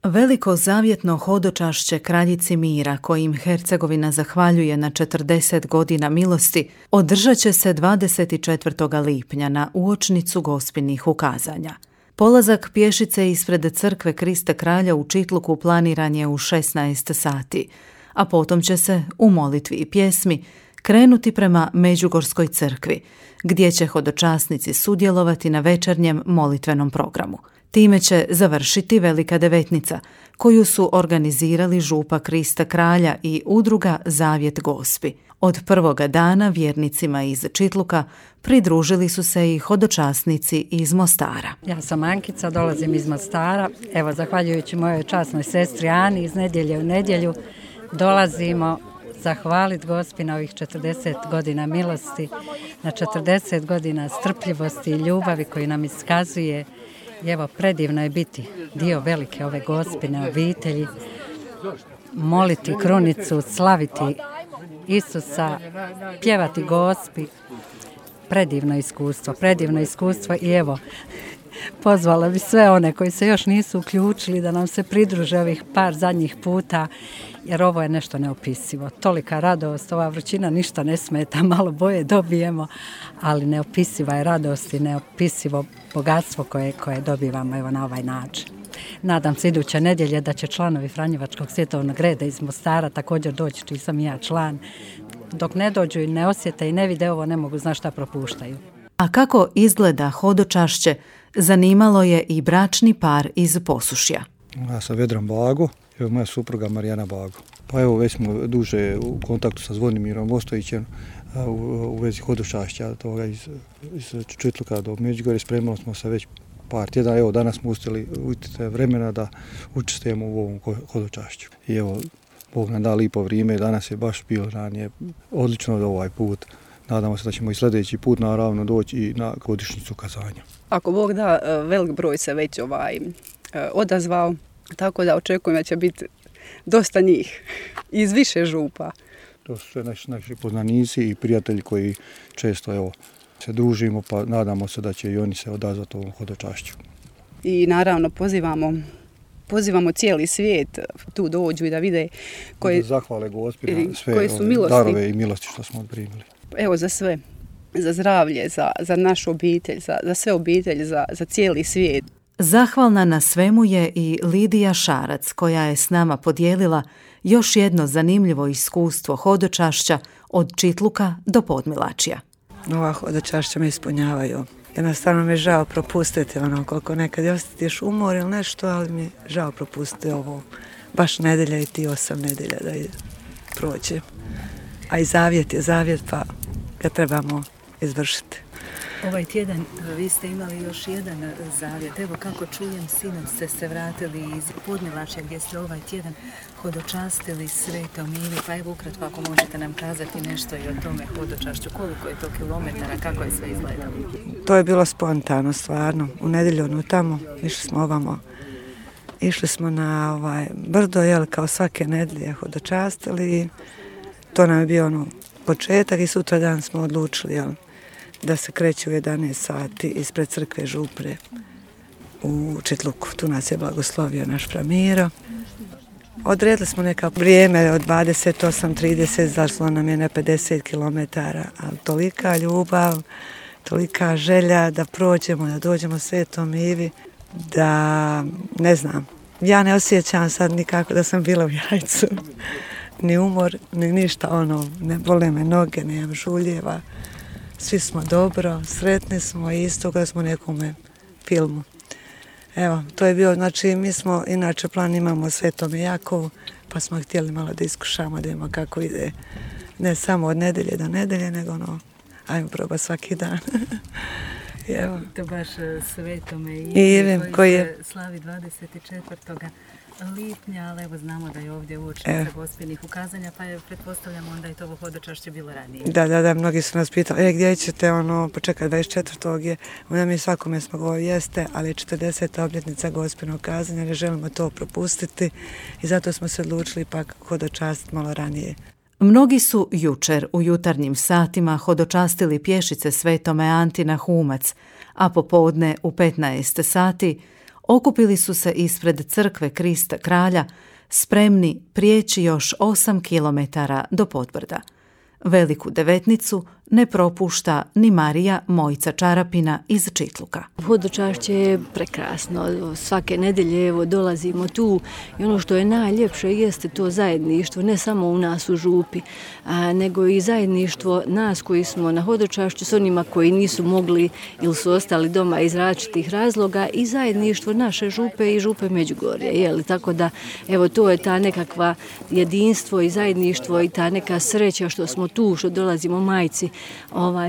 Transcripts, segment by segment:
Veliko zavjetno hodočašće kraljici mira, kojim Hercegovina zahvaljuje na 40 godina milosti, održat će se 24. lipnja na uočnicu Gospinih ukazanja. Polazak pješice ispred crkve Krista kralja u Čitluku planiran je u 16 sati, a potom će se, u molitvi i pjesmi, krenuti prema Međugorskoj crkvi, gdje će hodočasnici sudjelovati na večernjem molitvenom programu. Time će završiti Velika devetnica, koju su organizirali župa Krista kralja i udruga Zavjet Gospi. Od prvoga dana vjernicima iz Čitluka pridružili su se i hodočasnici iz Mostara. Ja sam Ankica, dolazim iz Mostara. Evo, zahvaljujući mojoj časnoj sestri Ani, iz nedjelje u nedjelju dolazimo zahvaliti Gospi na ovih 40 godina milosti, na 40 godina strpljivosti i ljubavi koju nam iskazuje. I evo, predivno je biti dio velike ove Gospine obitelji, moliti krunicu, slaviti Isusa, pjevati Gospi. Predivno iskustvo i evo, pozvala bi sve one koji se još nisu uključili da nam se pridruže ovih par zadnjih puta, jer ovo je nešto neopisivo. Tolika radost, ova vrućina ništa ne smeta, malo boje dobijemo, ali neopisiva je radost i neopisivo bogatstvo koje dobivamo evo na ovaj način. Nadam se iduće nedjelje da će članovi Franjevačkog svjetovnog reda iz Mostara također doći, čiji sam i ja član. Dok ne dođu i ne osjete i ne vide ovo, ne mogu znati šta propuštaju. A kako izgleda hodočašće, zanimalo je i bračni par iz Posušja. Ja sam Vedran Bago, evo moja supruga Marijana Bago. Pa evo, već smo duže u kontaktu sa Zvonimirom Ostojićem u vezi hodočašća toga iz Čitluka do Međugorja. Spremali smo se već par tjedana. Evo, danas smo uspjeli vremena da učestvujemo u ovom hodočašću. I evo, Bog nam da lipo vrijeme, danas je baš bilo ranije odlično ovaj put. Nadamo se da ćemo i sljedeći put naravno doći i na godišnjicu ukazanja. Ako Bog da, velik broj se već odazvao, tako da očekujem da će biti dosta njih iz više župa. To su sve naši poznanici i prijatelji koji često se družimo, pa nadamo se da će i oni se odazvati ovom hodočašću. I naravno pozivamo cijeli svijet tu dođu i da vide da zahvale Gospi na sve darove i milosti što smo primili. Evo, za sve, za zdravlje, za našu obitelj, za sve obitelji, za cijeli svijet. Zahvalna na svemu je i Lidija Šarac, koja je s nama podijelila još jedno zanimljivo iskustvo hodočašća od Čitluka do Podmilačja. Ova hodočašća me ispunjavaju. Jednostavno mi je žao propustiti koliko nekad osjetiš umor ili nešto, ali mi je žao propustiti ovo baš nedelja i ti 8 nedelja da prođe. A i zavjet je zavjet, pa ga trebamo izvršiti. Ovaj tjedan vi ste imali još jedan zavjet. Evo kako čujem, sinoć ste se vratili iz Podmilačja gdje ste ovaj tjedan hodočastili Svetom Ivi. Pa evo ukratko ako možete nam kazati nešto i o tome hodočašću. Koliko je to kilometara, kako je sve izgledalo? To je bilo spontano, stvarno. U nedjelju tamo išli smo ovamo. Išli smo na brdo, kao svake nedelje hodočastili. To nam je bio početak i sutra dan smo odlučili da se kreće u 11 sati ispred crkve Župre u Čitluku. Tu nas je blagoslovio naš Framiro. Odredili smo neka vrijeme od 28-30, zašlo nam je na 50 km, ali tolika ljubav, tolika želja da prođemo, da dođemo Svetom Ivi, da ne znam. Ja ne osjećam sad nikako da sam bila u jajcu. Ni umor, ni ništa, ne bole me noge, nemam žuljeva. Svi smo dobro, sretni smo i isto kada smo u nekome filmu. Evo, to je bio, znači mi smo, inače plan imamo Svetome Jakovu, pa smo htjeli malo da iskušamo, da imamo kako ide. Ne samo od nedelje do nedelje, nego ajmo probati svaki dan. Evo. To baš Svetome Ivi koji se slavi 24. lipnja, ali evo znamo da je ovdje uočnica Gospinih ukazanja, pa pretpostavljamo onda i to ovo hodočašće bilo ranije. Da, mnogi su nas pitali, gdje ćete počekati 24. je, onda mi svakome smo govorili jeste, ali je 40. obljetnica Gospinog ukazanja, ne želimo to propustiti i zato smo se odlučili pak hodočastiti malo ranije. Mnogi su jučer u jutarnjim satima hodočastili pješice Svetome Anti na Humac, a popodne u 15 sati okupili su se ispred crkve Krista Kralja, spremni prijeći još 8 kilometara do Podbrda. Veliku devetnicu ne propušta ni Marija Mojica Čarapina iz Čitluka. Hodočašće je prekrasno. Svake nedelje evo dolazimo tu i ono što je najljepše jeste to zajedništvo, ne samo u nas u župi, nego i zajedništvo nas koji smo na hodočašću s onima koji nisu mogli ili su ostali doma iz različitih razloga i zajedništvo naše župe i župe Međugorje. Tako da evo to je ta nekakva jedinstvo i zajedništvo i ta neka sreća što smo tu, što dolazimo majci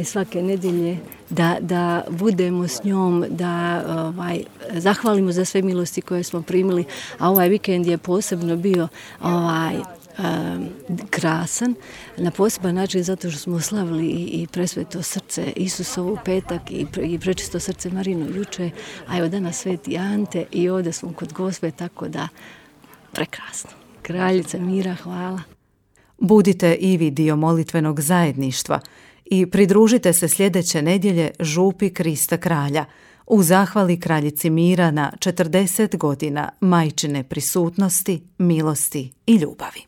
svake nedelje, da budemo s njom, da zahvalimo za sve milosti koje smo primili, a ovaj vikend je posebno bio krasan, na poseban način zato što smo slavili i presveto srce Isusovu petak i prečisto srce Marino juče, a evo danas Sveti Ante i ovdje smo kod Gospe, tako da prekrasno. Kraljica mira, hvala. Budite i vi dio molitvenog zajedništva i pridružite se sljedeće nedjelje župi Krista Kralja u zahvali Kraljici mira na 40 godina majčine prisutnosti, milosti i ljubavi.